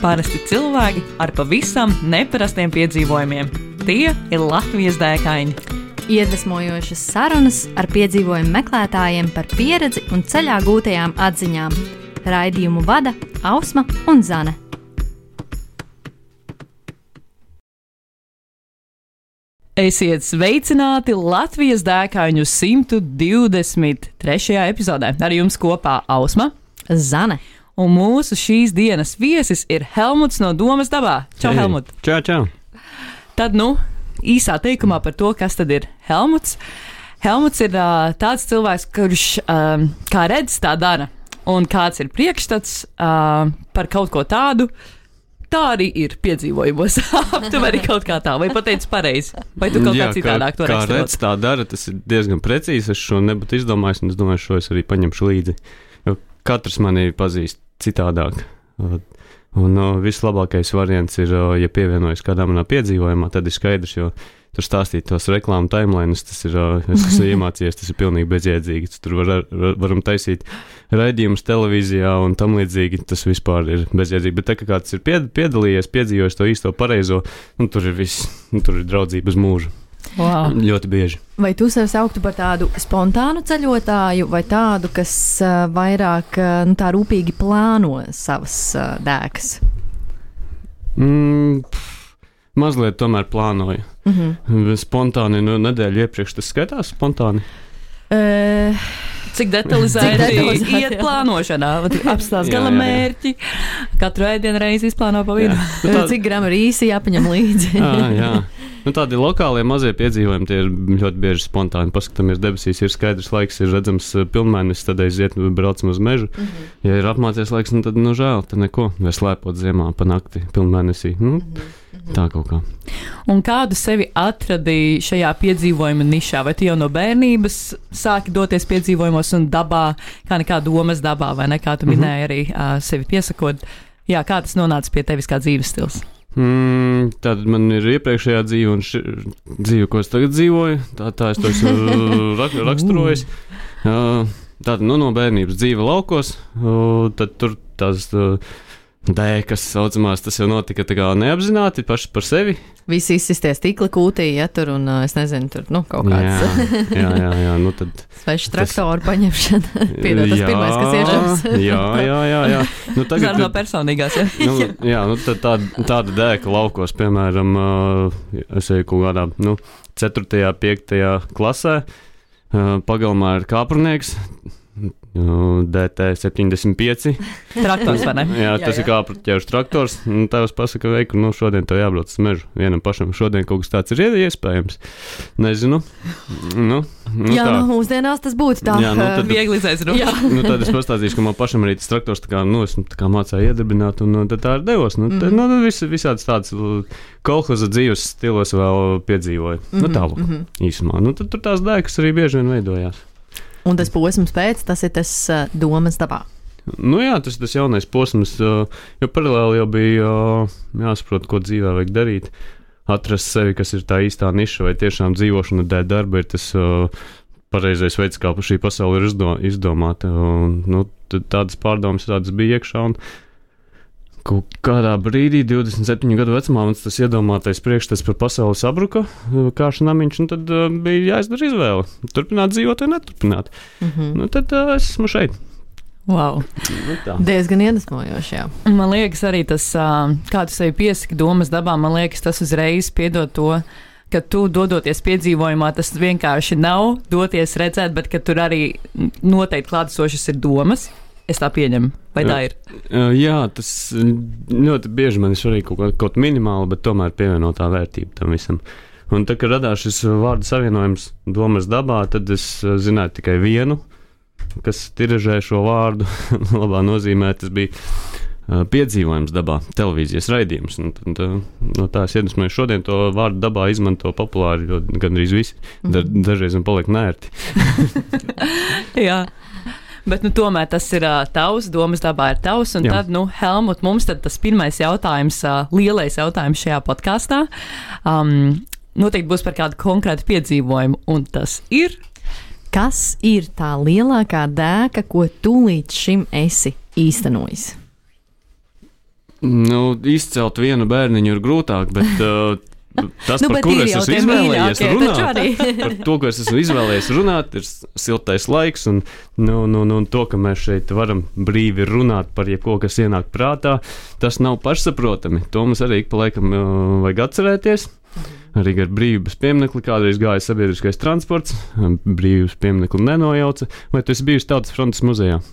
Parasti cilvēki ar pavisam neparastiem piedzīvojumiem. Tie ir Latvijas dēkaini. Iedvesmojošas sarunas ar piedzīvojumu meklētājiem par pieredzi un ceļā gūtajām atziņām. Raidījumu vada Ausma un Zane. Esiet sveicināti Latvijas dēkaņu 123. epizodē. Ar jums kopā Ausma, Zane. Un mūsu šīs dienas viesis ir Helmuts no Domas dabā. Čau, Helmut! Čau! Tad, īsā teikumā par to, kas tad ir Helmuts. Helmuts ir tāds cilvēks, kurš kā redz, tā dara. Un kāds ir priekšstats par kaut ko tādu, tā arī ir piedzīvojumos. Aptuveni kaut kā tā, vai pateici pareizi? Vai tu kaut kā citādāk to redz? Kā redz, tā dara, tas ir diezgan precīzi. Es šo nebūtu izdomājis, un es domāju, šo es arī paņemšu līdzi. Jo katrs mani pazīst citādāk. Un vislabākais variants ir, ja pievienojas kādā manā piedzīvojumā, tad ir skaidrs, jo tur stāstīt tos reklāmu timelines, tas ir, es esmu iemācījies, tas ir pilnīgi bezjēdzīgi. Tur varam taisīt raidījumus televīzijā un tam līdzīgi, tas vispār ir bezjēdzīgi. Bet tā kā kāds ir piedalījies, piedzīvojis to īsto pareizo, tur ir viss, tur ir draudzība uz mūžu. Wow. Ļoti bieži. Vai tu sev sauktu par tādu spontānu ceļotāju vai tādu, kas vairāk tā rūpīgi plāno savas dēkas? Mazliet tomēr plānoju. Spontāni, nedēļu iepriekš tas skaitās spontāni? Cik detalizēti iet plānošanā, apstāst gala mērķi, katru ēdienu reizi izplāno pa vidu. Cik gramu rīsi jāpaņem līdzi? Jā. Tādi lokālie mazie piedzīvojumi, tie ir ļoti bieži spontāni. Paskatāmies debesīs, ir skaidrs laiks, ir redzams pilnmēnesis, tad aiziet, braucam uz mežu. Ja ir apmācies laiks, tad žēl, tad neko, vai slēpot ziemā pa nakti pilnmēnesī. Tā kaut kā. Un kādu sevi atradīji šajā piedzīvojuma nišā? Vai tu jau no bērnības sāki doties piedzīvojumos un dabā, kā nekā Domas dabā, vai ne? Kā tu minēji arī sevi piesakot? Jā, kā tas nonāca pie tevis kā dzīves stils? Tad man ir iepriekšējā dzīve un dzīve, ko es tagad dzīvoju. Tā es to esmu raksturojis. Tātad no bērnības dzīve laukos, tad tur tās dēkas saucamās, tas jau notika tā kā neapzināti paši par sevi. Visi izsisties tīkli kūtī, ja tur un es nezinu, tur kaut kāds. Jā, tad. Sveši traktoru paņemšana. Piedod, tas pirmais, kas iešams. Jā. Tagad no personīgās, jā. Tad tāda dēka laukos, piemēram, es eju kaut kādā, 4., 5. klasē, pagalmā ir kāprnieks, DT75. Traktors, vai ne? Jā, tas ir kāprņķēžu traktors. Tēvs pasaka, veiku, šodien tev jābrauc uz mežu. Vienam pašam šodien kaut kas tāds ir iespējams. Nezinu. Jā, mūsdienās tas būtu tā. Jā, tad viegli izaicināt. Tad es pastāstīšu, ka man pašam arī tas traktors esmu mācēju iedarbināt, un tad tā ir devos. Visāds tāds kolhoza dzīves stilos vēl piedzīvoju. Tālāk, īsumā. Tad tur tās dēkas arī bieži vien veidojās. Un tas posms pēc, tas ir tas Domas dabā. Jā, tas jaunais posms, jo paralēli jau bija jāsaprot, ko dzīvē vajag darīt, atrast sevi, kas ir tā īstā niša, vai tiešām dzīvošana dēļ darba ir tas pareizais veids, kā šī pasaule ir izdomāta. Tādas pārdomas tādas bija iekšā, un kaut kādā brīdī, 27 gadu vecumā, mums tas iedomātais priekšstats par pasauli sabruka, kāšu namiņš, un tad bija jāizdara izvēle. Turpināt dzīvot vai neturpināt. Tad es esmu šeit. Wow. Diezgan iedvesmojoši, jā. Man liekas arī tas, kā tu sevi piesaki Domas dabā, man liekas tas uzreiz piedod to, ka tu dodoties piedzīvojumā, tas vienkārši nav doties redzēt, bet ka tur arī noteikti klātesošas ir domas. Es tā pieņemu, vai tā ir? Jā, tas ļoti bieži man ir svarīgi kaut minimāli, bet tomēr pievienotā vērtība tam visam. Un tad, kad radās šis vārdu savienojums Domas dabā, tad es zināju tikai vienu, kas tiražē šo vārdu labā nozīmē. Tas bija piedzīvojums dabā, televīzijas raidījums. No tā es iedvesmoju šodien to vārdu dabā izmanto populāri, jo gandrīz visi. Dažreiz man paliek nērti. Jā. Bet tomēr tas ir tavs, Domas dabā ir tavs. Un tad, Helmut, mums tad tas pirmais jautājums, lielais jautājums šajā podkāstā, noteikti būs par kādu konkrētu piedzīvojumu. Un tas ir? Kas ir tā lielākā dēka, ko tu līdz šim esi īstenojis? Izcelt vienu bērniņu ir grūtāk, bet tas, par kuru es esmu izvēlējies runāt, par to, ko es esmu izvēlējies runāt, ir siltais laiks un to, ka mēs šeit varam brīvi runāt par jebko, kas ienāk prātā, tas nav pašsaprotami. To mums arī pa laikam vajag atcerēties. Arī ar brīvības pieminekli kādreiz gāja sabiedriskais transports, brīvības pieminekli nenojauca. Vai tu esi bijusi Tautas frontes muzejā?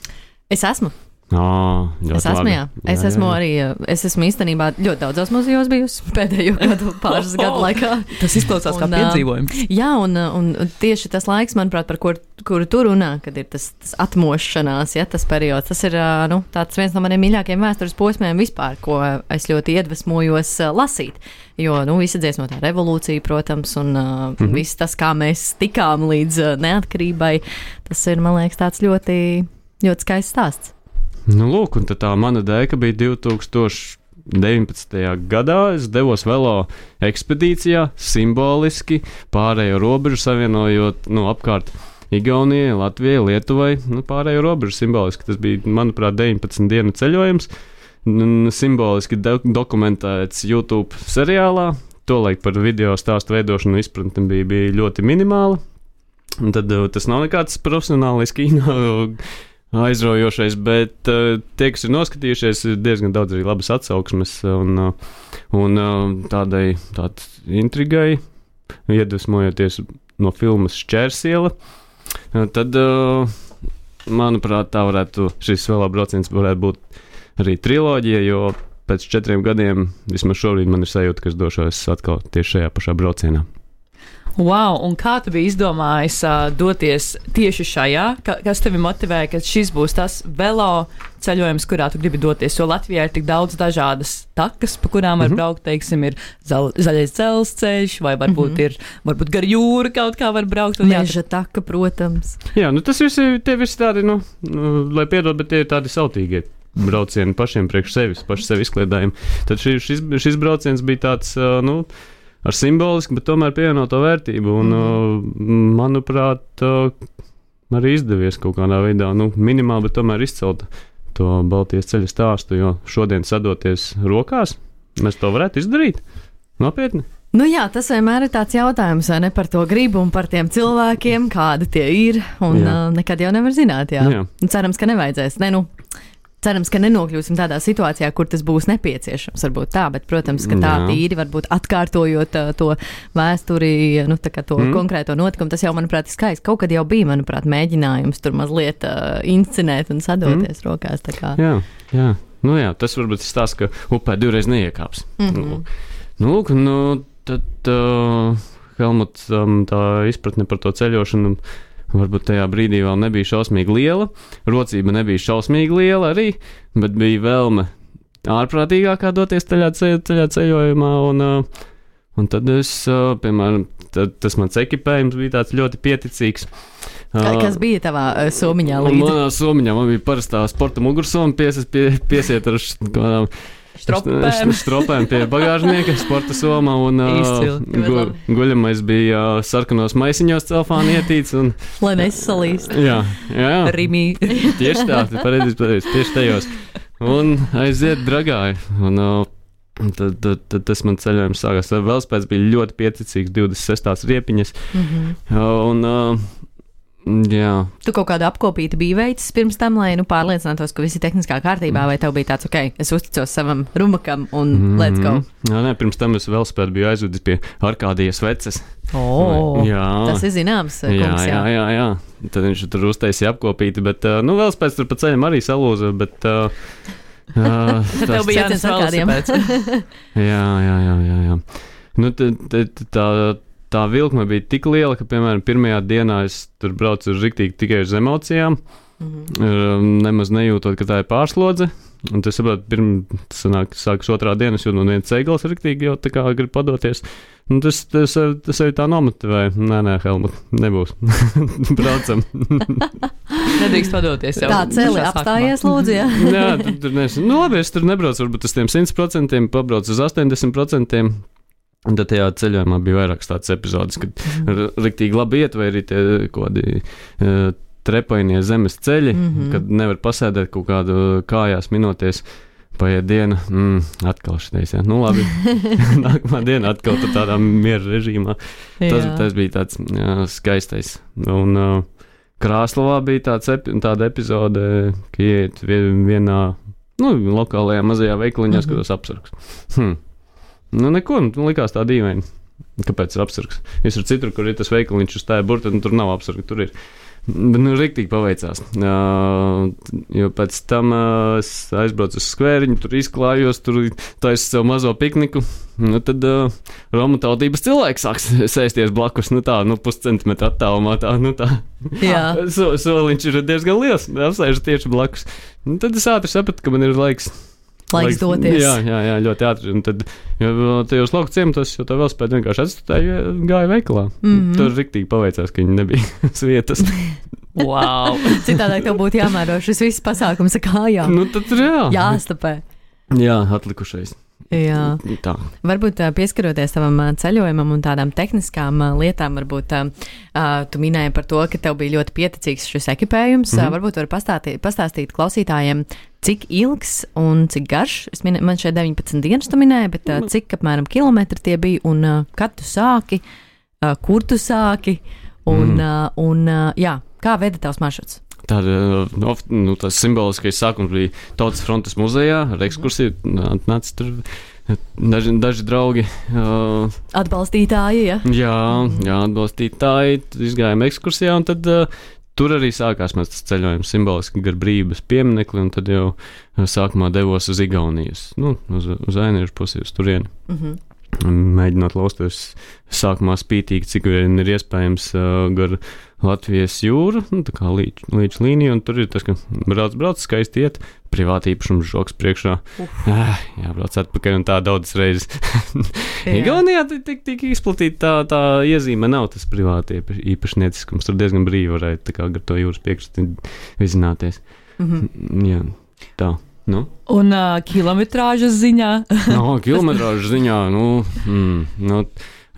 Es esmu. Es esmu, jā. Es esmu īstenībā ļoti daudzos muzejos bijusi pēdējo pāris gadu laikā. Tas izklausās kā piedzīvojums. Jā, un tieši tas laiks, manuprāt, par kuru tu runā, kad ir tas atmošanās, ja, tas periods, tas ir tāds viens no maniem mīļākajiem vēstures posmiem vispār, ko es ļoti iedvesmojos lasīt. Jo, visa dziesmotā revolūcija, protams, un viss tas, kā mēs tikām līdz neatkarībai, tas ir, man liekas, tāds ļoti, ļoti skaists stāsts. Lūk, un tā mana dēka bija 2019. gadā. Es devos velo ekspedīcijā, simboliski pārējo robežu savienojot apkārt Igaunijai, Latvijai, Lietuvai. Pārējo robežu simboliski. Tas bija, manuprāt, 19 dienu ceļojums. Simboliski dokumentēts YouTube seriālā. Tolaik par video stāstu veidošanu izpratni bija ļoti minimāla. Un tad tas nav nekāds profesionālis kino aizraujošais, bet tie, kas ir noskatījušies, ir diezgan daudz arī labas atsauksmes un tādai intrigai, iedvesmojoties no filmas Šķērsiela. Tad, manuprāt, šis vēl brauciens varētu būt arī triloģija, jo pēc 4 gadiem, vismaz šobrīd man ir sajūta, ka es došos atkal tieši šajā pašā braucienā. Wow, un kā tu biji izdomājis doties tieši šajā? Kas tevi motivēja, ka šis būs tas velo ceļojums, kurā tu gribi doties? Jo Latvijā ir tik daudz dažādas takas, pa kurām var braukt, teiksim, ir zaļais dzelzceļš, vai varbūt gar jūru kaut kā var braukt. Meža taka, protams. Jā, tas tie visi tādi, lai piedod, bet tie ir tādi sautīgie braucieni pašiem priekš sevis, paši sevi izkliedējumi. Tad šis brauciens bija tāds, ar simbolisku, bet tomēr pievienoto vērtību. Un, manuprāt, arī izdevies kaut kādā veidā, minimāli, bet tomēr izcelt to Baltijas ceļa stāstu, jo šodien sadoties rokās, mēs to varētu izdarīt. Nopietni. Jā, tas vienmēr ir tāds jautājums, vai ne, par to gribu un par tiem cilvēkiem, kādi tie ir, un nekad jau nevar zināt, jā. Cerams, ka nevajadzēs. Cerams, ka nenokļūsim tādā situācijā, kur tas būs nepieciešams, varbūt tā, bet, protams, ka tā tīri varbūt atkārtojot to vēsturi, to konkrēto notikumu, tas jau, manuprāt, ir skaisti. Kaut kad jau bija, manuprāt, mēģinājums tur mazliet inscenēt un sadoties rokās. Tā kā. Jā. Tas varbūt ir stāsts, ka upē 2 reizes neiekāps. Tad Helmuts tā izpratne par to ceļošanu varbūt tajā brīdī vēl nebija šausmīgi liela, rocība nebija šausmīgi liela arī, bet bija vēlme ārprātīgākā doties ceļā ceļojumā, un tad es, piemēram, tas mans ekipējums bija tāds ļoti pieticīgs. Kas bija tavā somiņā līdzi? Manā somiņā man bija parastā sporta mugursoma, piesiet ar kādām stropēm pie bagāžnieka, sporta somā, un guļamais bija sarkanos maisiņos celfāni ietīts. Lai nesalīst. Jā. Rimī. Tieši tā, pareizi, tieši tajos. Un aiziet dragāji. Un tad tas man ceļojums sākās. Velospēds bija ļoti pieticīgs, 26 riepiņas. Jā. Tu kaut kādu apkopīti biji veicis pirms tam, lai pārliecinātos, ka viss ir tehniskā kārtībā, vai tev bija tāds, es uzticos savam rumakam un let's go? Nē, pirms tam es velospēdu biju aizvedis pie Arkādijas veces. Tas ir zināms, kungs, jā. Tad viņš tur uztaisīja apkopīti, bet, velospēds tur pa ceļam arī salūza, bet... Tev bija jānes velosipēds. Jā. Tā vilkme bija tik liela, ka, piemēram, pirmajā dienā es tur braucu riktīgi tikai uz emocijām, nemaz nejūtot, ka tā ir pārslodze. Un tas, saprot, sākas 2. dienas, jo viens ceigals riktīgi jau tā kā grib padoties. Un tas arī tā nomotivēja. Nē, Helmut, nebūs. Braucam. Nedrīkst padoties jau. Tā celi apstājies, lūdzu, jā. Jā, tur labi, es tur nebraucu varbūt uz tiem 100%, pabraucu uz 80%. Un tad tajā ceļojumā bija vairākas tādas epizodes, kad riktīgi labi iet, vai arī tie kādi trepainie zemes ceļi, kad nevar pasēdēt kaut kādu kājās minoties Paiet diena, atkal šitais, jā. Nu, labi. Nākamā diena atkal tādā miera režīmā. Tas bija tāds skaistais. Un Krāslavā bija tāda epizode, ka iet vienā, lokālajā mazajā veikaliņā, skatos apsargs. Nu, neko, likās tā dīvaini. Kāpēc ir apsargs? Visur citur, kur ir tas veikaliņš uz tā burta, tur nav apsarga, tur ir. Bet, riktīgi paveicās. Jo pēc tam es aizbraucu uz skvēriņu, tur izklājos, tur taisu sev mazo pikniku. Tad Romu tautības cilvēks sāks sēsties blakus, puscentimetru attālumā, soliņš ir diezgan liels, apsēžu tieši blakus. Tad es ātri sapratu, ka man ir laiks doties. Jā, ļoti ātri. Un tad, tajos lauku ciematos, jo tā velosipēda vienkārši atstāja, gāja veikalā. Tur riktīgi paveicās, ka viņi nebija vietas. Wow! Citādāk tev būtu jāmēro šis viss pasākums ar kājām. Tad jā. Jāstapē. Jā, atlikušais. Jā. Tā. Varbūt pieskaroties tavam ceļojumam un tādām tehniskām lietām, varbūt tu minēji par to, ka tev bija ļoti pieticīgs šis ekipējums. Varbūt var pastāstīt klausītājiem, cik ilgs un cik garš. Man šeit 19 dienas tu minēji, bet cik apmēram kilometri tie bija un kad tu sāki, kur tu sāki un kā veda tavs maršruts? Tas simboliskais sākums bija Tautas frontes muzejā ar ekskursiju. Atnāca tur daži draugi. Atbalstītāji, ja? Jā, atbalstītāji. Tad izgājām ekskursijā, un tad tur arī sākās mēs tas ceļojums simboliski gar brīvības pieminekli, un tad jau sākumā devos uz Igaunijas, uz Ainiešu pusi, uz turieni. Mēģinot lausties sākumā spītīgi, cik vien ir iespējams gar Latvijas jūru, tā kā līdz līniju, un tur ir tas, ka brauc, skaisti iet, privāti īpašums žoks priekšā. Jābrauc atpakaļ un tā daudzas reizes. Igaunijā tik izplatīta tā iezīme nav tas privāti īpašnieciskums, tur diezgan brīvi varētu tā kā gar to jūras piekšķi vizināties. Jā, tā. Un kilometrāžas ziņā? Kilometrāžas ziņā,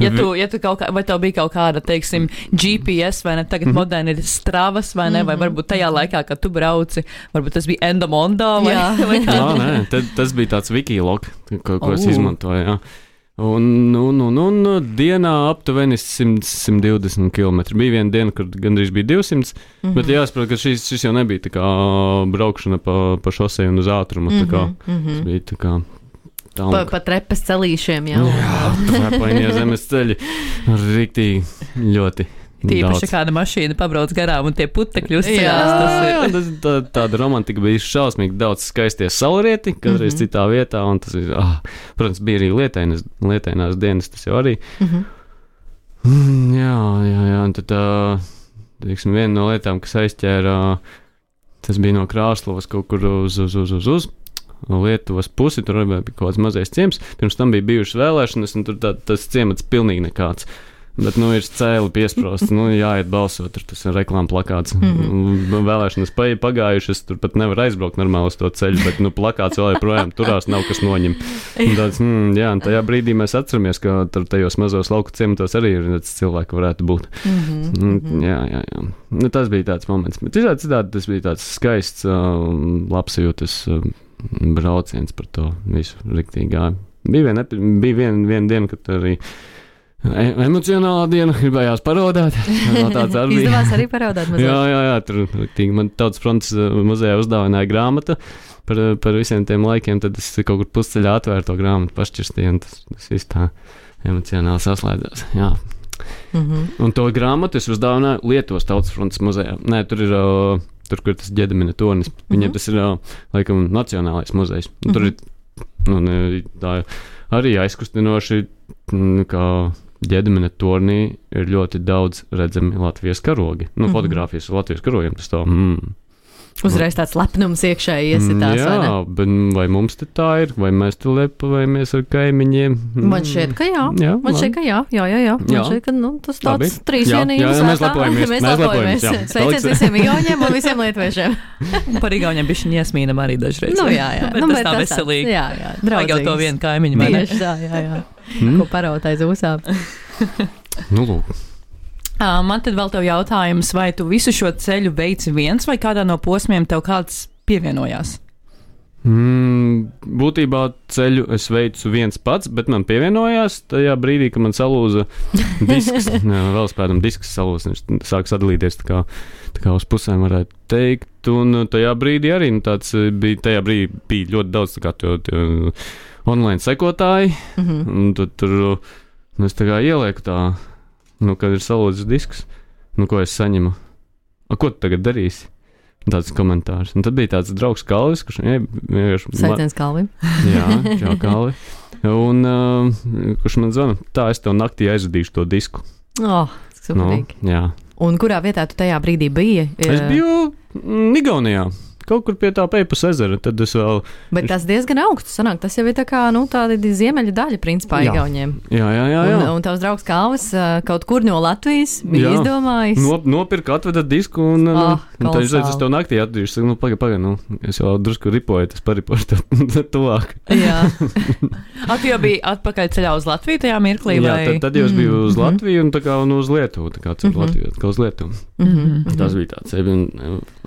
Ja tu kaut kā, vai tev bija kaut kāda, teiksim, GPS, vai ne, tagad moderni ir Stravas, vai ne, vai varbūt tajā laikā, kad tu brauci, varbūt tas bija Endomondo, vai kā? Nē, tas bija tāds Wikilog, ko es izmantoju, jā. Un dienā aptuveni 120 km. Bija viena diena, kad gandrīz bija 200, bet jāsaprot, ka šis jau nebija tā kā braukšana pa šosei un uz ātrumu, tā kā tas bija tā kā Pa trepas celīšiem, jā. Trepainie zemes ceļi. Riktīgi ļoti. Tīpaši kāda mašīna pabrauc garām un tie putekļi uzceļās. Tāda romantika bija šausmīgi daudz skaistie saulrieti, kādreiz citā vietā, un tas ir, protams, bija arī lietainās dienas, tas jau arī. Jā, un tad, teiksim, viena no lietām, kas aizķēra, tas bija no Krāslavas kaut kur uz Lietuvas pusi, tur bija kaut kāds mazais ciems, pirms tam bija bijušas vēlēšanas, un tur tas ciemats pilnīgi nekāds. Bet, ir cēli piesprosts, jāiet balsot, tur tas ir reklāma plakāts. Vēlēšanas pagājušas, tur pat nevar aizbraukt normāli uz to ceļu, bet, plakāts vēl joprojām turās, nav kas noņem. Tāds, un tajā brīdī mēs atceramies, ka tur tajos mazos lauku ciematos arī ir cilvēki varētu būt. Jā. Tas bija tāds moments. Bet citādi tas bija tāds skaists, labsajūtas brauciens par to visu riktīgi gāju. Bija viena diena, kad arī emocionālā diena, gribējās parodāt. Izdevās arī parodāt mazliet? Jā, tur riktīgi. Man Tautas frontes muzejā uzdāvināja grāmata par visiem tiem laikiem, tad es kaut kur pusceļā atvēru to grāmatu, pašķirstīju, un tas viss tā emocionāli saslēdzās. Jā. Un to grāmatu es uzdāvināju Lietuvas Tautas frontes muzejā. Nē, tur ir kur ir tas Ģedemina tornis. Viņiem tas ir, laikam, nacionālais muzejs. Tur ir tā arī aizkustinoši, kā Ģedemina tornī ir ļoti daudz redzami Latvijas karogi. Fotogrāfijas ar Latvijas karogiem, tas tā, Uzreiz tāds lepnums iekšēji iesitās, vai ne? Jā, bet vai mums te tā ir, vai mēs te lepojamies ar kaimiņiem? Man šķiet, ka jā. Man šķiet, ka jā. Man šķiet, ka tas tāds trīsvienības. Jā, mēs lepojamies. Sveiciens visiem igauņiem un visiem lietviešiem. Par igauņiem bišķiņ iesmīnam arī dažreiz. Jā. Bet tas tā veselīgi. Jā, vajag jau to vienu kaimiņu, vai ne? Tieši tā, jā. Ko paraut aiz ūsām. Lūk. Man tad vēl tev jautājums, vai tu visu šo ceļu veici viens, vai kādā no posmiem tev kāds pievienojās? Būtībā ceļu es veicu viens pats, bet man pievienojās tajā brīdī, kad man salūza disks, velospēdam disks salūza, viņš sāk sadalīties tā kā uz pusēm varētu teikt, un tajā brīdī arī, tajā brīdī bija ļoti daudz tā kā online sekotāji, un tur es tā kā ielieku tā, kad ir salūzis disks, ko es saņemu, ko tu tagad darīsi? Tāds komentārs. Un tad bija tāds draugs Kalvis, kurš vienkārši... Sveiciens Kalvim. Jā, čau Kalvi. Un kurš man zvana, tā es tev naktī aizvadīšu to disku. Superīgi. Jā. Un kurā vietā tu tajā brīdī biji? Es biju Igaunijā. Kaut kur pie tā Peipus ezera, tad es vēl... Bet tas diezgan augsts sanāk, tas jau ir tā kā, tāda ziemeļa daļa, principā, Igauniem. Jā. Un tavs draugs Kalvis kaut kur no Latvijas bija izdomājis. Nopirka, atveda disku un tad es teicu, es tev naktī atdīšu. Pagaid, es jau drusku ripoju, tas paripošu tev tuvāk. Jā. Tu jau biji atpakaļ ceļā uz Latviju tajā mirklī, vai? Jā, tad jau es biju uz Latviju un tā kā uz Lietuvu, tā kā Latviju, atkal uz Lietuvu. Tas bija tāds.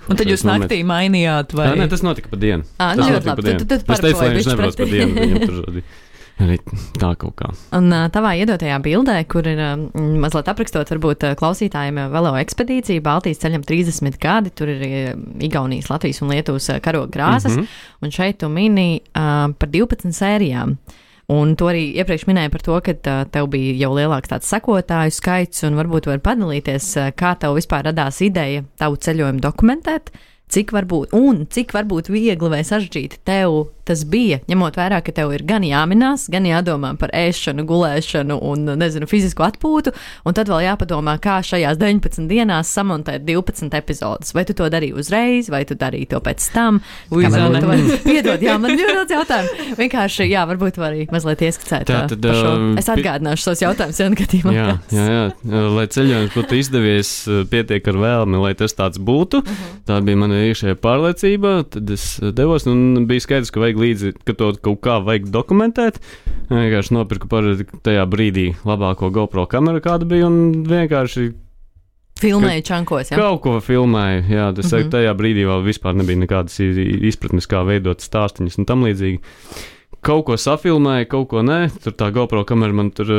Un tad jūs naktī mainījāt, vai? Nē, tas notika pa dienu. Ļoti labi. Tad es teicu, lai viņš nebrauc pa dienu, viņam tur arī tā kaut kā. Un tavā iedotajā bildē, kur ir mazliet aprakstot varbūt klausītājiem velo ekspedīciju, Baltijas ceļam 30 gadi, tur ir Igaunijas, Latvijas un Lietuvas karoga krāsas, un šeit tu mini par 12 sērijām. Un to arī iepriekš minēju par to, ka tev bija jau lielāks tāds sekotāju skaits, un varbūt var padalīties, kā tev vispār radās ideja tavu ceļojumu dokumentēt, cik varbūt viegli vai sarežģīti tev tas bija, ņemot vērā, ka tev ir gan jāminās, gan jādomā par ēšanu, gulēšanu un, fizisku atpūtu, un tad vēl jāpadomā, kā šajās 19 dienās samontēt 12 epizodus. Vai tu to darīji uzreiz, vai tu darīji to pēc tam? Piedod, man ļoti daudz jautājumu. Vienkārši, varbūt var arī mazliet ieskicēt par šo. Es atgādināšu šos jautājumus, gadījumā. Jā. Lai ceļojums būtu izdevies, pietiek ar vēlmi, lai tas tāds būtu. Tā bija mana iekšējā pārliecība, tad es devos, un bija skaidrs, ka vajag līdzi, ka to kaut kā vajag dokumentēt. Vienkārši nopirku tajā brīdī labāko GoPro kameru, kāda bija, un vienkārši filmēju čankos, jā? Kaut ko filmēju, jā. Tas tajā brīdī vēl vispār nebija nekādas izpratnes, kā veidot stāstiņus un tam līdzīgi. Kaut ko safilmēju, kaut ko nē. Tur tā GoPro kamera man tur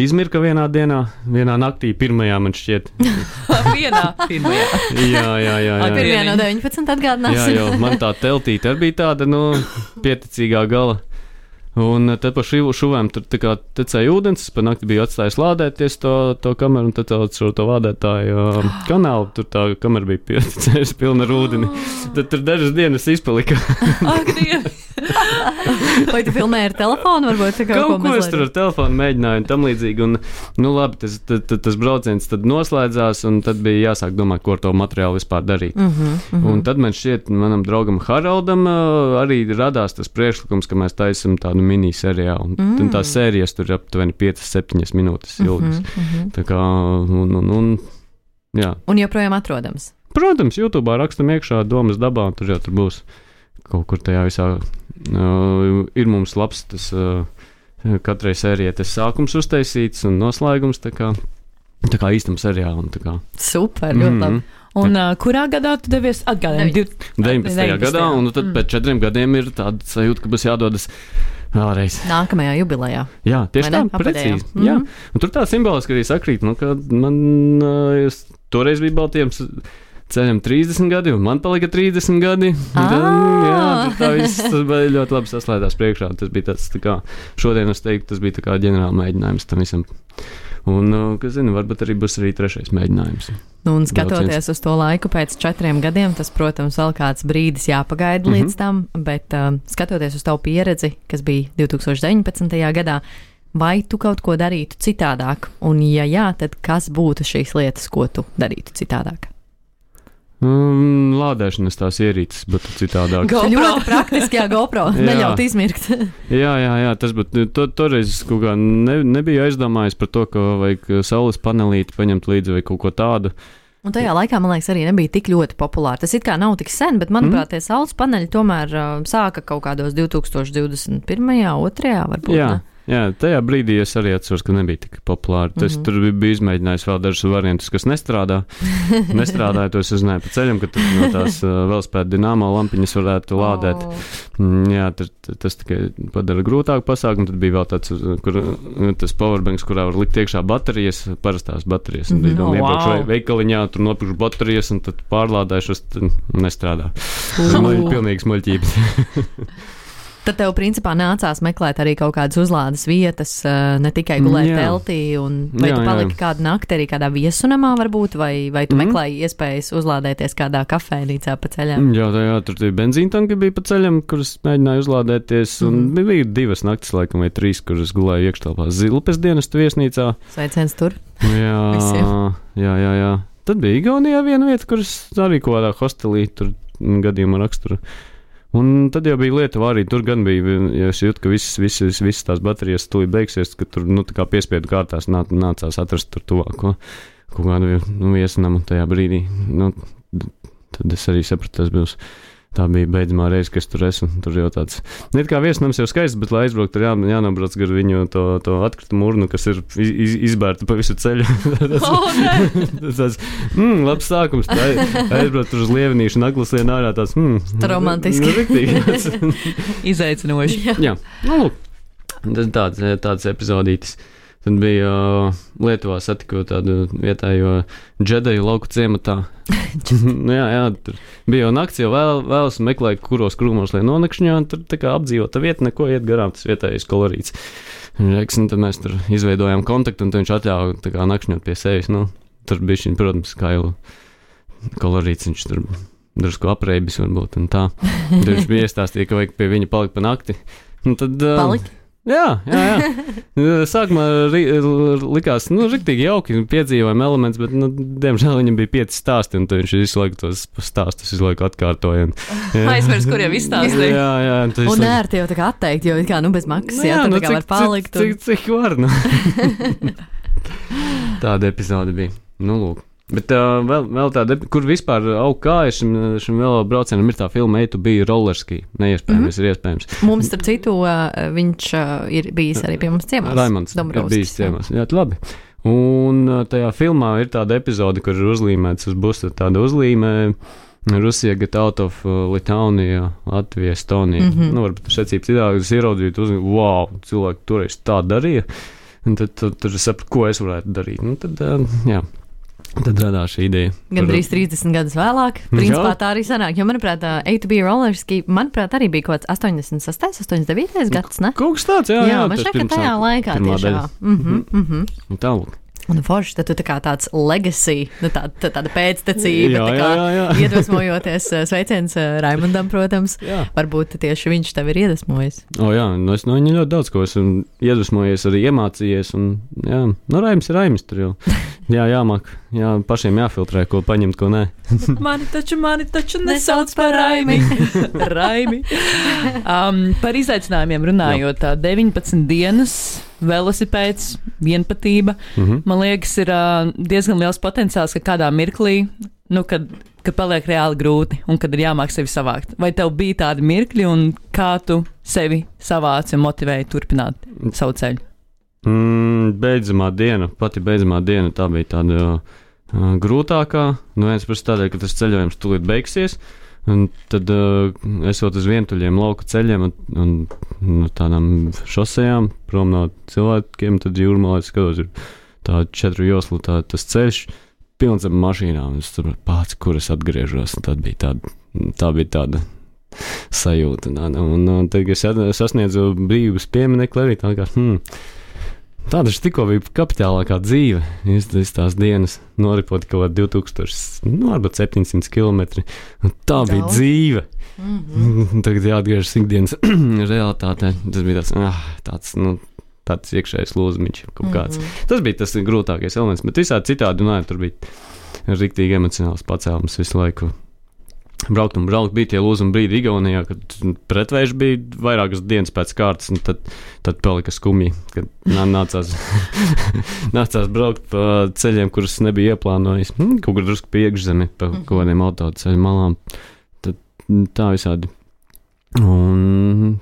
izmirka vienā dienā, vienā naktī, pirmajā man šķiet. Pirmajā. Jā. Pirmajā no 19 atgādināsim. Jā, jo man tā teltīte arī bija tāda, pieticīgā gala. Un tad pa šuvēm tur tā kā tecēja ūdens, es pa nakti biju atstājis lādēties to kameru, un tad caur to lādētāju kanālu, tur tā kamera bija pietecējusi pilna ar ūdeni. Tad tur dažas dienas izpalika. Ak, Dievs! Vai tu filmēji ar telefonu? Varbūt kaut ko es tur ar telefonu mēģināju un tam līdzīgi. Un, labi, tas brauciens tad noslēdzās, un tad bija jāsāk domāt, ko ar to materiālu vispār darīt. Un tad man šķiet, manam draugam Haraldam arī radās tas priekšlikums, ka mēs taisam tādu mini-seriālu. Un tās sērijas tur ir aptuveni 5-7 minūtes ilgas. Tā kā, jā. Un joprojām atrodams? Protams, YouTube'ā rakstam iekšā Domas dabā, un tur jau tur būs kaut kur tajā visā. Ir mums labs tas katrai sērijai tas sākums uztaisīts un noslēgums tā kā īstam seriālam. Super, ļoti labi. Un kurā gadā tu devies atgādāt? 19. gadā, un tad pēc 4 gadiem ir tāda sajūta, ka būs jādodas vēlreiz. Nākamajā jubilejā. Jā, tieši tā, precīzi. Jā. Un tur tā simboliski arī sakrīt, ka man toreiz bija Baltijam ceļam 30 gadi, un man palika 30 gadi. Tā viss bija ļoti labi saslēdās priekšā. Tas bija tāds, tā kā, šodien es teiktu, tas bija tā kā ģenerāla mēģinājums tam visam. Un, kas zina, varbūt arī būs arī 3. mēģinājums. Un skatoties uz to laiku pēc 4 gadiem, tas, protams, vēl kāds brīdis jāpagaida līdz tam, bet skatoties uz tavu pieredzi, kas bija 2019. gadā, vai tu kaut ko darītu citādāk? Un, ja jā, tad kas būtu šīs lietas, ko tu darītu citādāk? Lādēšanas tās ierīces būtu citādāk. Ļoti praktiski, GoPro, neļaut izmirkt. Jā, tas būtu, toreiz kaut kā nebija aizdomājis par to, ka vajag saules panelīti paņemt līdzi vai kaut ko tādu. Un tajā laikā, man liekas, arī nebija tik ļoti populāri. Tas it kā nav tik sen, bet, manuprāt, tie saules paneļi tomēr sāka kaut kādos 2021. 2. varbūt, Jā, tajā brīdī es arī atceros, ka nebija tik populāri. Es tur biju izmēģinājis vēl dažus variantus, kas nestrādāja, to es uzzināju pa ceļam, ka tur no tās velospēda dināmo lampiņas varētu lādēt. Jā, tas tikai padara grūtāku pasākumu. Tad bija vēl tāds, tas powerbanks, kurā var likt iekšā baterijas, parastās baterijas. Un bija doma iebraukšu veikaliņā, tur nopirkšu baterijas un tad pārlādājušas, nestrādā. Pilnīgs muļķības. Tad tev, principā, nācās meklēt arī kaut kādas uzlādes vietas, ne tikai gulēt teltī, vai tu paliki kādu nakti arī kādā viesunamā varbūt, vai tu meklēji iespējas uzlādēties kādā kafejnīcā pa ceļam? Jā, tur bija benzīntanki bija pa ceļam, kuras mēģināju uzlādēties, un bija 2 naktis, laikam, vai 3, kuras gulēju iekštelpā Zilpes dienestu viesnīcā. Sveiciens tur. Jā. Tad bija Igaunijā viena vieta, kuras arī kaut kādā hostelī tur gadījumā raksturu. Un tad jau bija Lietuva arī, tur gan bija, ja es jūtu, ka visas tās baterijas tūlīt beigsies, ka tur, tā kā piespiedu kārtās nācās atrast tur tuvāko kaut kādu viesunamu tajā brīdī. Tad es arī sapratu, tas būs. Tā bija beidzamā reize, kas tur esmu. Tur jau tāds, kā viesunams jau skaists, bet, lai aizbraukt, tur jānobrauc gar viņu to atkritumu urnu, kas ir izbērta pa visu ceļu. Tas labs sākums. Aizbraukt tur uz Lievenīšu un Aglaslienu ārā tāds, romantiski. Izaicinoši. Jā. Tāds epizodītis. Tad bija Lietuvā satikot tādu vietējo džedeju lauku ciematā. jā, tur bija jau nakts, jau vēlas meklēja, kuros krūmos, lai nonakšņā, un tur tā kā apdzīvota vieta, neko iet garām, tas vietējais kolorīts. Un tad mēs tur izveidojām kontaktu, un viņš atļāva tā kā nakšņot pie sevis. Tur bija šī, protams, kā jau kolorīts, viņš tur drusku apreibis varbūt, un tā. Tad viņš bija iestāstīja, ka vajag pie viņa palikt pa nakti. Un tad, palikt? Jā. Sākumā likās, riktīgi jauki piedzīvojumi elements, bet, diemžēl viņam bija 5 stāsti, un tad viņš visu laiku tos stāstus atkārtoja. Aizvers, kuriem izstāstīja. Jā. Un ērti jau tā kā atteikt, jo kā, bez maksas, tad tā kā var palikt. Cik var, Tāda epizode bija. Lūk. Bet vēl tāda, kur vispār aug kāja šim vēl braucienam ir tā filma A to B rollerski. Neiespējams, ir iespējams. Mums, starp citu, viņš ir bijis arī pie mums ciemās. Raimonds ir bijis ciemās. Jā, labi. Un tajā filmā ir tāda epizode, kur ir uzlīmēts uz busa tāda uzlīmē Rusija get out of Litaunia, Latvija, Estonija. Varbūt secības ideāli, es ieraudzīju, wow, cilvēki toreiz tā darīja. Un tad es sapratu, ko es varētu darīt. Tad radās šī ideja. Gan drīz 30 gadus vēlāk. Principā tā arī sanāk. Jo, manuprāt, A to B rollerski, arī bija kaut kāds 86, 89 gads, ne? Kaut kas tāds, jā. Jā, man šķiet, ka tajā laikā tiešām. Tālāk. Un forši, tad tu tā kā tāds legacy, tāda pēctecība, iedvesmojoties, sveiciens Raimondam, protams. Jā. Varbūt tieši viņš tev ir iedvesmojis. Jā, es no viņa ļoti daudz ko esmu iedvesmojies, arī iemācījies, un Raims ir Raims tur jau. Jāmāk, pašiem jāfiltrē, ko paņemt, ko nē. Mani taču nesauc par Raimi. Raimi. Par izaicinājumiem runājot, 19 dienas, velosipēds, vienpatība. Man liekas, ir diezgan liels potenciāls, ka kādā mirklī, kad paliek reāli grūti un kad ir jāmāk sevi savākt. Vai tev bija tādi mirkļi un kā tu sevi savāci un motivēji turpināt savu ceļu? Pati beidzamā diena, tā bija tāda grūtākā. Viens pēc tādēļ, ka tas ceļojums tūlīt beigsies. Un tad esot uz vientuļiem lauku ceļiem un tādām šosejām, prom no cilvēkiem, tad jūrmalā skatos, ir tā 4 joslu tas ceļš, pilns ar mašīnām. Es saprotu, pats, kur es atgriežos, un tad bija tā bija tāda sajūta. Un tad, kad es sasniedzu brīvības pieminekli, arī tā kā, tā taču tikko bija kapitālākā dzīve. Es tās dienas noripot kaut kādā 2000, varbūt 700 km. Tā bija dzīve. Tagad jāatgriežas ikdienas realitātē. Tas bija tāds iekšējais lūzumiņš kaut kāds. Tas bija tas grūtākais elements, bet visādi citādi, tur bija riktīgi emocionāls pacēlums visu laiku. Braukt, bija tie lūzumi brīdi Igaunijā, kad pretvējš bija vairākas dienas pēc kārtas, un tad palika skumji, kad nācās braukt pa ceļiem, kurus nebija ieplānojis. Kaut kur drusku pie iekšzemi, pa kaut kādiem autoceļu malām. Tad tā visādi. Un,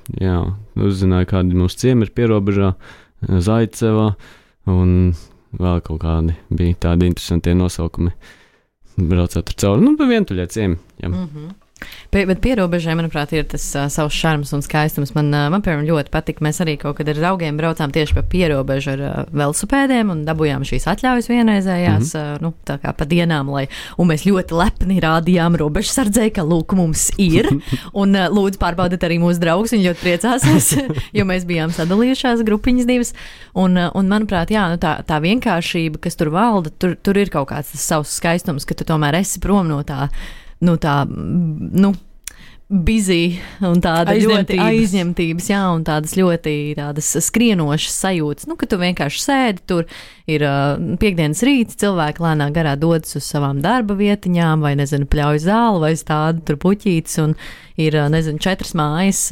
uzzināju, kādi mūsu ciemi ir pierobežā, Zaicevā, un vēl kaut kādi bija tādi interesantie nosaukumi. Braucot ar cauri, vientuļie ciemi. Jā. Bet pierobežai, manuprāt, ir tas savs šarms un skaistums. Man piemēram, ļoti patika. Mēs arī kaut kad ar draugiem braucām tieši pa pierobežu ar velosipēdiem un dabūjām šīs atļaujas vienreizējās, tā kā pa dienām, un mēs ļoti lepni rādījām robežsardzei, ka lūk, mums ir. Un lūdzu pārbaudiet arī mūsu draugus, viņi ļoti priecāsies, jo mēs bijām sadalījušās grupiņas divas. Un manuprāt, jā, tā vienkāršība, kas tur valda, tur ir kaut kāds tas savs skaistums, ka tu tomēr esi prom no tā busy un tāda ļoti aizņemtības, jā, un tādas ļoti tādas skrienošas sajūtas, ka tu vienkārši sēdi, tur ir piekdienas rīts, cilvēki lēnā garā dodas uz savām darba vietiņām, vai, pļauj zāli, vai stāda tur puķītes, un ir, 4 mājas,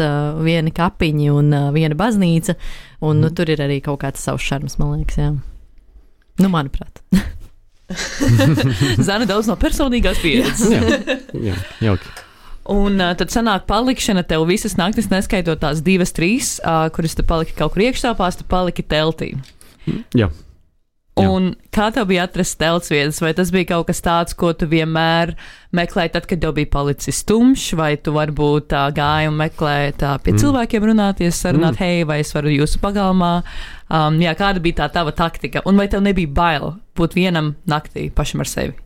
viena kapiņa un viena baznīca, un tur ir arī kaut kāds savs šarms, man liekas, jā. Manuprāt. Zana daudz no personīgās pieredzes. jā, jauki. Un tad sanāk palikšana tev visas naktis, neskaitot tās 2-3, kuras tu paliki kaut kur iekštāpās, tu paliki teltī. Jā. Un kā tev bija atrast telts vietas? Vai tas bija kaut kas tāds, ko tu vienmēr meklēji tad, kad tev bija palicis tumšs, vai tu varbūt gāji un meklēji pie cilvēkiem runāties, sarunāt, hei, vai es varu jūsu pagalmā? Kāda bija tā tava taktika? Un vai tev nebija bail būt vienam naktī pašam ar sevi?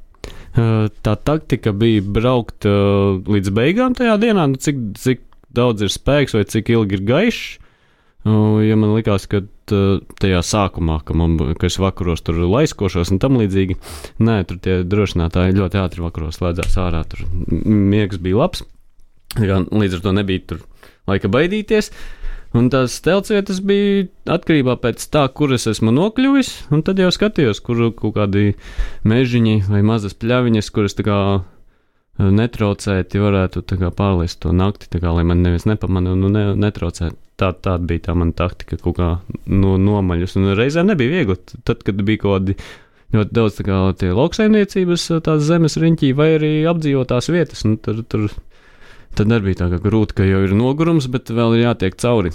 Tā taktika bija braukt līdz beigām tajā dienā, cik daudz ir spēks vai cik ilgi ir gaišs. Ja man likās, ka tajā sākumā, ka es vakaros tur laiskošos un tam līdzīgi, nē, tur tie drošinātāji ļoti ātri vakaros slēdzās ārā, tur miegs bija labs, līdz ar to nebija tur laika baidīties, un tās teltsvietas bija atkarībā pēc tā, kur es esmu nokļuvis, un tad jau skatījos, kur kaut kādi mežiņi vai mazas pļaviņas, kuras tā kā netraucēti varētu tā kā pārliest to nakti, tā kā, lai man neviens nepamana un netraucēt. Tāda bija tā mana taktika, kaut kā nomaļus, un reizēm nebija viegli. Tad, kad bija kaut kādi ļoti daudz tā kā tie lauksaimniecības tās zemes riņķī vai arī apdzīvotās vietas, un tad arī bija tā kā grūti, ka jau ir nogurums, bet vēl ir jātiek cauri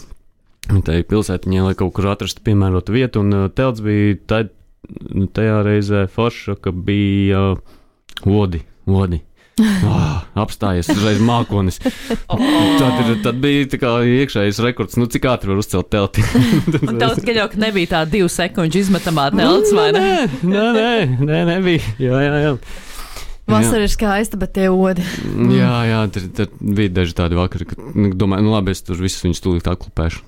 tai pilsētiņai, lai kaut kur atrastu piemērotu vietu, un telts bija tajā reizē forša, ka bija vodi. Apstājies uzreiz mākonis. Tad bija tā kā iekšējais rekords, cik ātri var uzcelt telti. Un tev tikai jau, ka nebija tā 2 sekundžu izmetamā telts, vai ne? Nē, nebija. Jā. Vasara ir skaista, bet tie odi. Jā, tad bija daži tādi vakari, ka domāju, labi, es tur visus viņus tūlīt atklupēšu.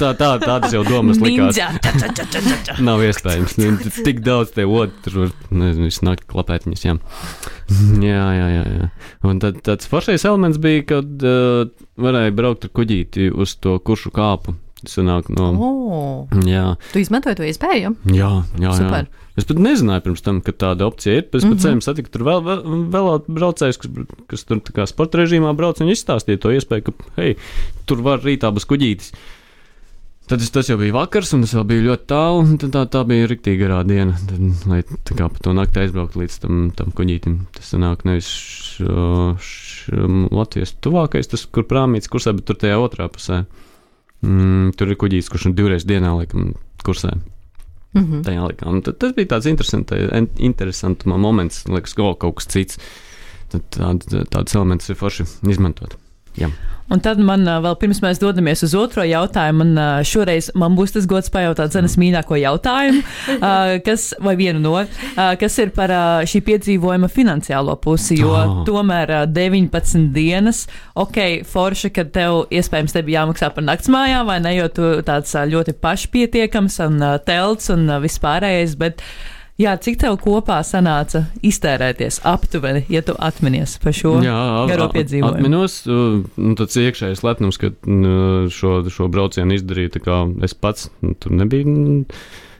Tādas jau domas likās. Nav iespējams. Tik daudz tie odi, tur var, visu nakti klapēt viņus, jā. Un tad tāds foršais elements bija, kad varēja braukt ar kuģīti uz to kuršu kāpu. Sanāk jā. Tu izmantoji to iespēju? Jā. Super. Es pat nezināju pirms tam, ka tāda opcija ir. Pēc ceļiem satiku tur vēl braucējus, kas tur tā kā sporta režīmā brauc, un izstāstīja to iespēju, ka, hei, tur var rītā būs kuģītis. Tad tas jau bija vakars, un tas vēl bija ļoti tālu, un tā bija riktīgi garā diena, lai tā kā pa to nakti aizbraukt līdz tam kuģītim. Tas sanāk nevis Latvijas tuvākais, tas, kur prāmīts kursē, bet tur tajā otrā pusē. Tur ir kuģītis, kurš 2 reizes dienā laikam kursē. Tajā laikā. Un tas bija tāds interesants moments, liekas, kaut kas cits. Tāds elements ir forši izmantot. Jā. Un tad man vēl pirms mēs dodamies uz otro jautājumu, šoreiz man būs tas gods pajautāt Zanas mīļāko jautājumu, kas ir par šī piedzīvojuma finansiālo pusi, jo tomēr 19 dienas, forši, kad tev iespējams te bija jāmaksā par naktsmājām, vai ne, jo tu tāds ļoti pašpietiekams un telts un vispārējais, bet jā, cik tev kopā sanāca iztērēties aptuveni, ja tu atminies par šo garo piedzīvojumu? Atminos, tāds iekšējais lepnums, ka šo braucienu izdarīju tā kā es pats, tur nebija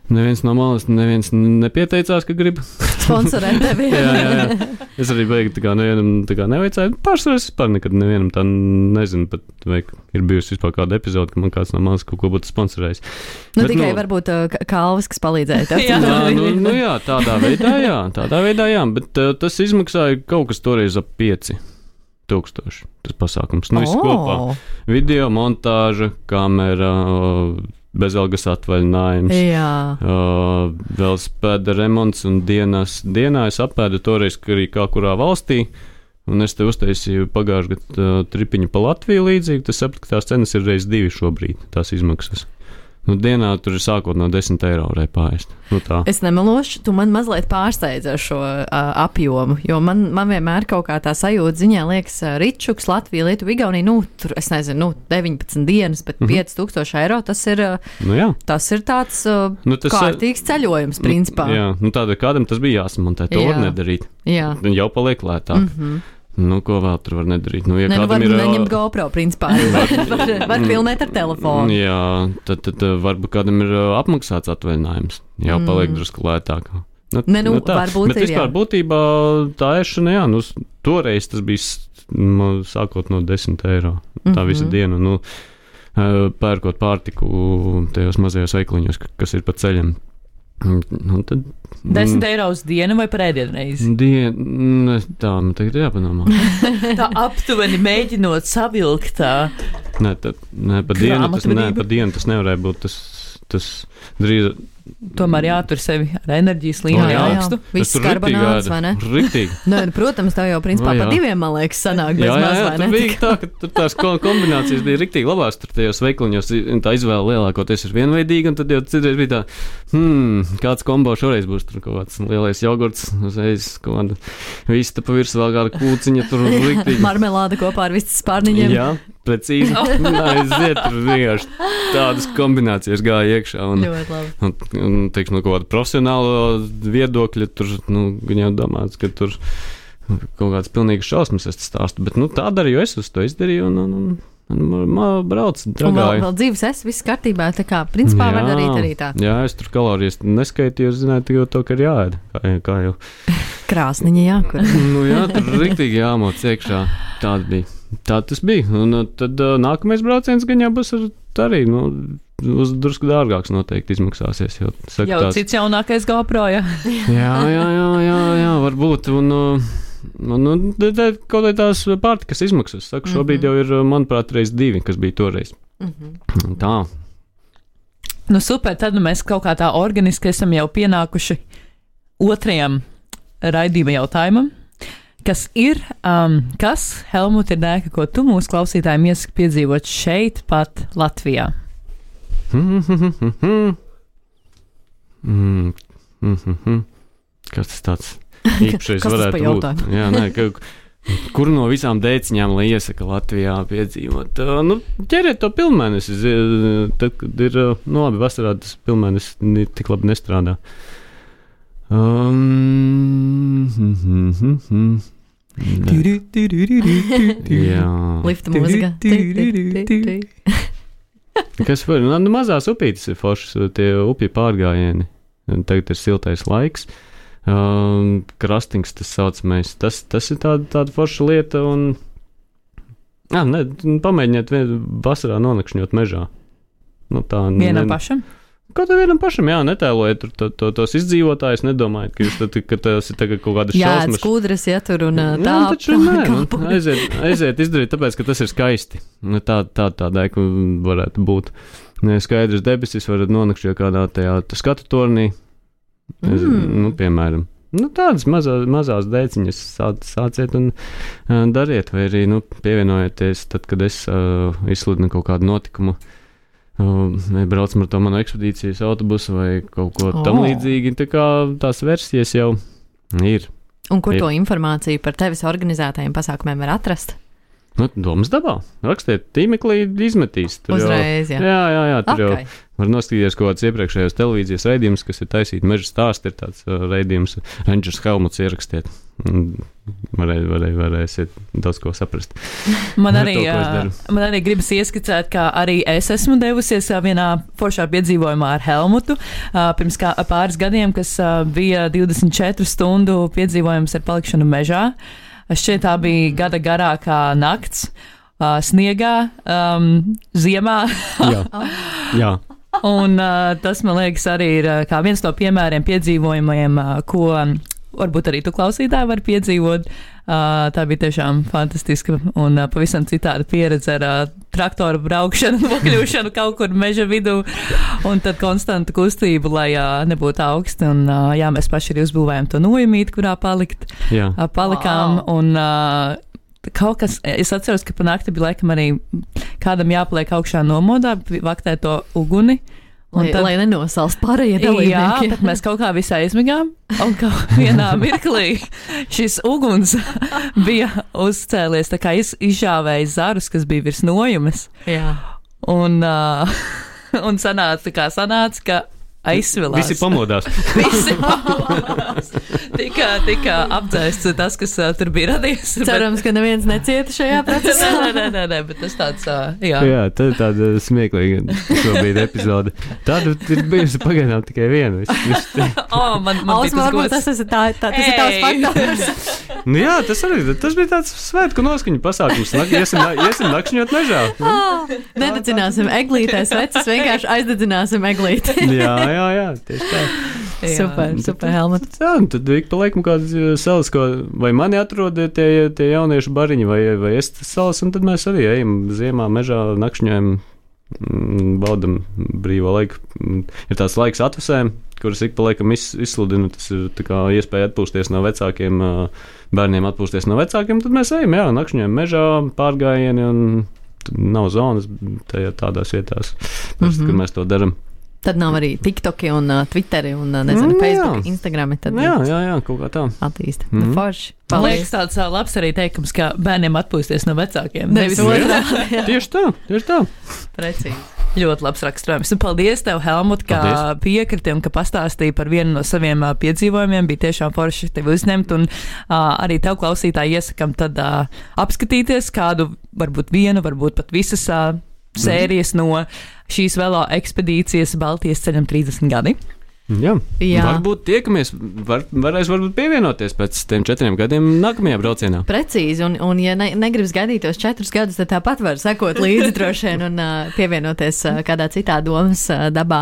neviens no malas, neviens nepieteicās, ka grib. Sponsorēt tevi. jā. Es arī beigi tā kā nevienam tā kā neveicāju. Pārsvarā es vispār nekad nevienam tā nezinu, pat vai ir bijusi vispār kāda epizode, ka man kāds no malas kaut ko būtu sponsorējis. Tikai varbūt Kalvis, kas palīdzēja tev. jā, tādā veidā jā, bet tas izmaksāja kaut kas toreiz ap 5 1000 tas pasākums. Nu, viss kopā. Video montāža, kamera, bezalgas atvaļinājums, velospēda remonts un dienā es apēdu toreiz arī kā kurā valstī. Un es te uztaisīju pagājušajā gadā tripiņu pa Latviju līdzīgi. Tas sapratu, ka tās cenas ir reiz 2 šobrīd, tās izmaksas. Nu, dienā tur ir sākot no 10 eiro varēja pāriest. Nu, tā. Es nemelošu, tu man mazliet pārsteidzi ar šo apjomu, jo man vienmēr kaut kā tā sajūta ziņā liekas Ričuks, Latvija, Lietuva, Igaunija, tur, es nezinu, 19 dienas, bet 5000 eiro, tas ir tāds kārtīgs ceļojums, principā. Jā, tāda kādam tas bija jāsamontē, to var nedarīt. Jā. Jau paliek lētāk. Nu, ko vēl tur var nedarīt? Nu, ja var neņemt GoPro, principā. var filmēt ar telefonu. Jā, tad varbūt kādam ir apmaksāts atvaļinājums. Jau paliek drusku lētāk. Varbūt bet vispār būtībā tā ēšana, toreiz tas bija sākot no 10 eiro. Tā visa diena. Pērkot pārtiku tajos mazajos veikliņos, kas ir pa ceļam. Tad, 10 eiro uz dienu vai par ēdienreizi? Tā, man tagad ir jāpadomā. Tā aptuveni mēģinot savilkt tā. Nē, pa dienu tas nevarēja būt. Tas drīz. Tomēr jātur sevi ar enerģijas līmeni augstu. Viss karbonāts, vai ne? Riktīgi. Protams, tā jau principā pa 2, man liekas, sanāk bez maz, vai ne? Jā, bija tā, ka tur tās kombinācijas bija riktīgi labās. Tur tajos veikliņos tā izvēle lielākoties ir vienveidīga, un tad jau citreiz bija tā, kāds kombo šoreiz būs tur kaut kāds lielais jogurts, uzreiz kaut kāda vista pa virsmu vēl kāda kūciņa, tur riktīgi. Marmelāde kopā ar vistas pārniņiem. Jā, precīzi. Aiziet, tur vienkārši tādas kombinācijas gāja iekšā. Ļoti labi. Un teiksim, no kaut kāda profesionāla viedokļa, tur, gan jau domāts, ka tur kaut kāds pilnīgs šausmas es stāstu, bet, tā darīju es uz to izdarīju, un brauc, dragāju. Un vēl dzīves viss kārtībā, tā kā, principā var darīt arī tā. Jā, es tur kalorijas neskaitīju, zināju tikai to, ka ir jāēd, kā jau. Krāsniņa jākur. Jā, tur riktīgi jāmoc iekšā, tāda bija. Tā tas bija, un tad nākamais brauciens gan jau būs arī, uz drusku dārgāks noteikti izmaksāsies. Jau cits jaunākais GoPro, jā. Jā, varbūt, un kaut kā tās pārtikas izmaksas, saku, šobrīd jau ir, manuprāt, reiz 2, kas bija toreiz. Tā. Super, tad mēs kaut kā tā organiski esam jau pienākuši otrajam raidījuma jautājumam. Kas ir, Helmut, ir dēka, ko tu mūsu klausītājiem iesaki piedzīvot šeit, pat Latvijā? Kas tas tāds īpašais varētu būt? Jā, kur no visām dēciņām, lai iesaka Latvijā piedzīvot? Ķeriet to pilnmēnesi. Tad, kad ir, labi, vasarā tas pilnmēnesis tik labi nestrādā. Lifta mūzika. Kas var? Mazās upītes ir foršas, tie upju pārgājieni. Tagad ir siltais laiks. Krastings tas saucamais. Tas ir tāda forša lieta. Pamēģiniet vasarā nonakšņot mežā. Vienam pašam? Kaut kā vienam pašam, netēlojiet tos izdzīvotājus, nedomājiet, ka tas ir tagad kaut kādas šausmas. Jā, skudras, tur un tā. Jā, taču nē, aiziet izdarīt, tāpēc, ka tas ir skaisti. Tādai, ka varētu būt skaidrs debesis, varat nonakšķiet kādā tajā skatu tornī, piemēram. Tādas mazās dēciņas sāciet un dariet, vai arī pievienojieties tad, kad es izsludinu kaut kādu notikumu. Braucam ar to manu ekspedīcijas autobusu vai kaut ko tam līdzīgi. Tā kā tās versijas jau ir. Un kur to informāciju par tevis organizētajiem pasākumiem var atrast? Domas dabā. Rakstiet tīmeklī, izmetīs. Uzreiz, jā. Jā, tur jau var noskatīties kaut kāds iepriekšējos televīzijas raidījums, kas ir taisīti meža stāsti, ir tāds raidījums Rangers Helmuts ierakstiet. Varēsiet daudz ko saprast. Man arī gribas ieskicēt, ka arī es esmu devusies vienā foršā piedzīvojumā ar Helmutu pirms pāris gadiem, kas bija 24 stundu piedzīvojums ar palikšanu mežā. Šķiet, tā bija gada garākā nakts, sniegā, ziemā. Jā. Un tas, man liekas, arī ir kā viens no piemēriem piedzīvojumiem, ko varbūt arī tu klausītāji var piedzīvot Tā bija tiešām fantastiska un pavisam citāda pieredze ar traktoru braukšanu, nokļūšanu kaut kur meža vidū un tad konstanta kustību, lai nebūtu augsti. Un jā, mēs paši arī uzbūvējām to nojumīti, kurā palikām. Un kaut kas, es atceros, ka pa nakti bija laikam arī kādam jāpaliek augšā nomodā, vaktē to uguni. Lai nenosals pārējie dalībnieki. Jā, bet mēs kaut kā visā aizmigām, un kaut vienā mirklī šis uguns bija uzcēlies, tā kā izžāvēja zarus, kas bija virs nojumes. Jā. Un sanāca, ka aizsvilās. Visi pamodās. Tika apdzēsts tas, kas tur bija radies. Cerams, ka neviens necieta šajā procesā. Nē, bet tas tāds, jā. Jā, tā ir tāda smieklīga šobrīd epizode. Tāda ir bijusi pagaidām tikai viena. Varbūt tas ir tās faktors. Nu jā, tas bija tāds svētku noskaņu pasākums. Iesim nakšņot mežā. Nededzināsim eglītēs vecis, vienkārši aizdedzināsim eglīti. Jā, tieši tā. Super, Helmut. Jā, tad ik pa laikam kāds salas, vai mani atrod tie jauniešu bariņi, vai es salas, un tad mēs arī ejam ziemā mežā, nakšņojam, baudam brīvo laiku. Ir tāds laiks atvasēm, kuras ik pa laikam izsludina, tas ir tā kā iespēja atpūsties no vecākiem, bērniem atpūsties no vecākiem, tad mēs ejam, nakšņojam mežā, pārgājieni, un nav zonas tādās vietās, kur mēs to daram. Tad nav arī TikToki un Twitteri un, Facebook, Instagrami. Tad jā, kaut kā tā. Attīsta. Forši. Man liekas tāds labs arī teikums, ka bērniem atpūsties no vecākiem. Nevis otrā. Tieši tā. Precīzi. Ļoti labs raksturojums. Un paldies tev, Helmut, ka piekriti un ka pastāstīji par vienu no saviem piedzīvojumiem. Bija tiešām forši tevi uzņemt. Un arī tev, klausītāji, iesakam tad apskatīties kādu, varbūt vienu, varbūt pat visas sērijas no šīs velo ekspedīcijas Baltijas ceļam 30 gadi. Jā. Varbūt tiekamies, varēs varbūt pievienoties pēc tiem 4 gadiem nākamajā braucienā. Precīzi, un ja negribas gaidīt tos 4 gadus, tad tāpat var sekot līdzi droši vien un pievienoties kādā citā domas dabā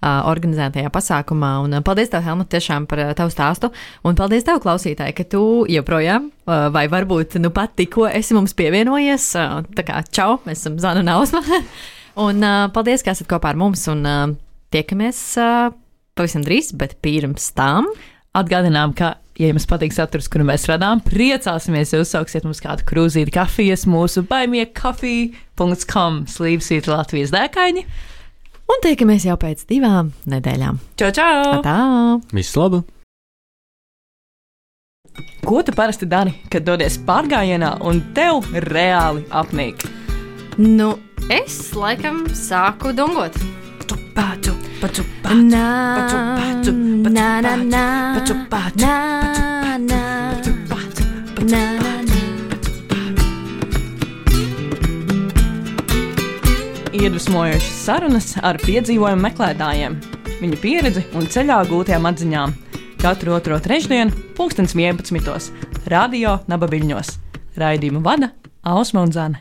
organizētajā pasākumā. Un paldies tev, Helmut, tiešām par tavu stāstu, un paldies tev, klausītāji, ka tu joprojām, vai varbūt nu pat tikko esi mums pievienojies. Tā kā čau, mēs esam Zana un Ausma. Un paldies, ka esat kopā ar mums, un tiekamies pavisam drīz, bet pirms tam atgādinām, ka, ja jums patīk saturs, kuru mēs radām, priecāsimies, ja uzsauksiet mums kādu krūzīti kafijas mūsu buymeacoffee.com / Latvijas dēkaini. Un tiekamies jau pēc 2 nedēļām. Čau! Tā! Viss labi! Ko tu parasti dari, kad dodies pārgājienā un tev reāli apnīk? Nu, es laikam sāku dungot. Iedvesmojošas sarunas ar piedzīvojumu meklētājiem, viņu pieredzi un ceļā gūtajām atziņām. Katru otro trešdienu, 11:11. Radio Naba Viļņos. Raidījumu vada Ausma un Zane.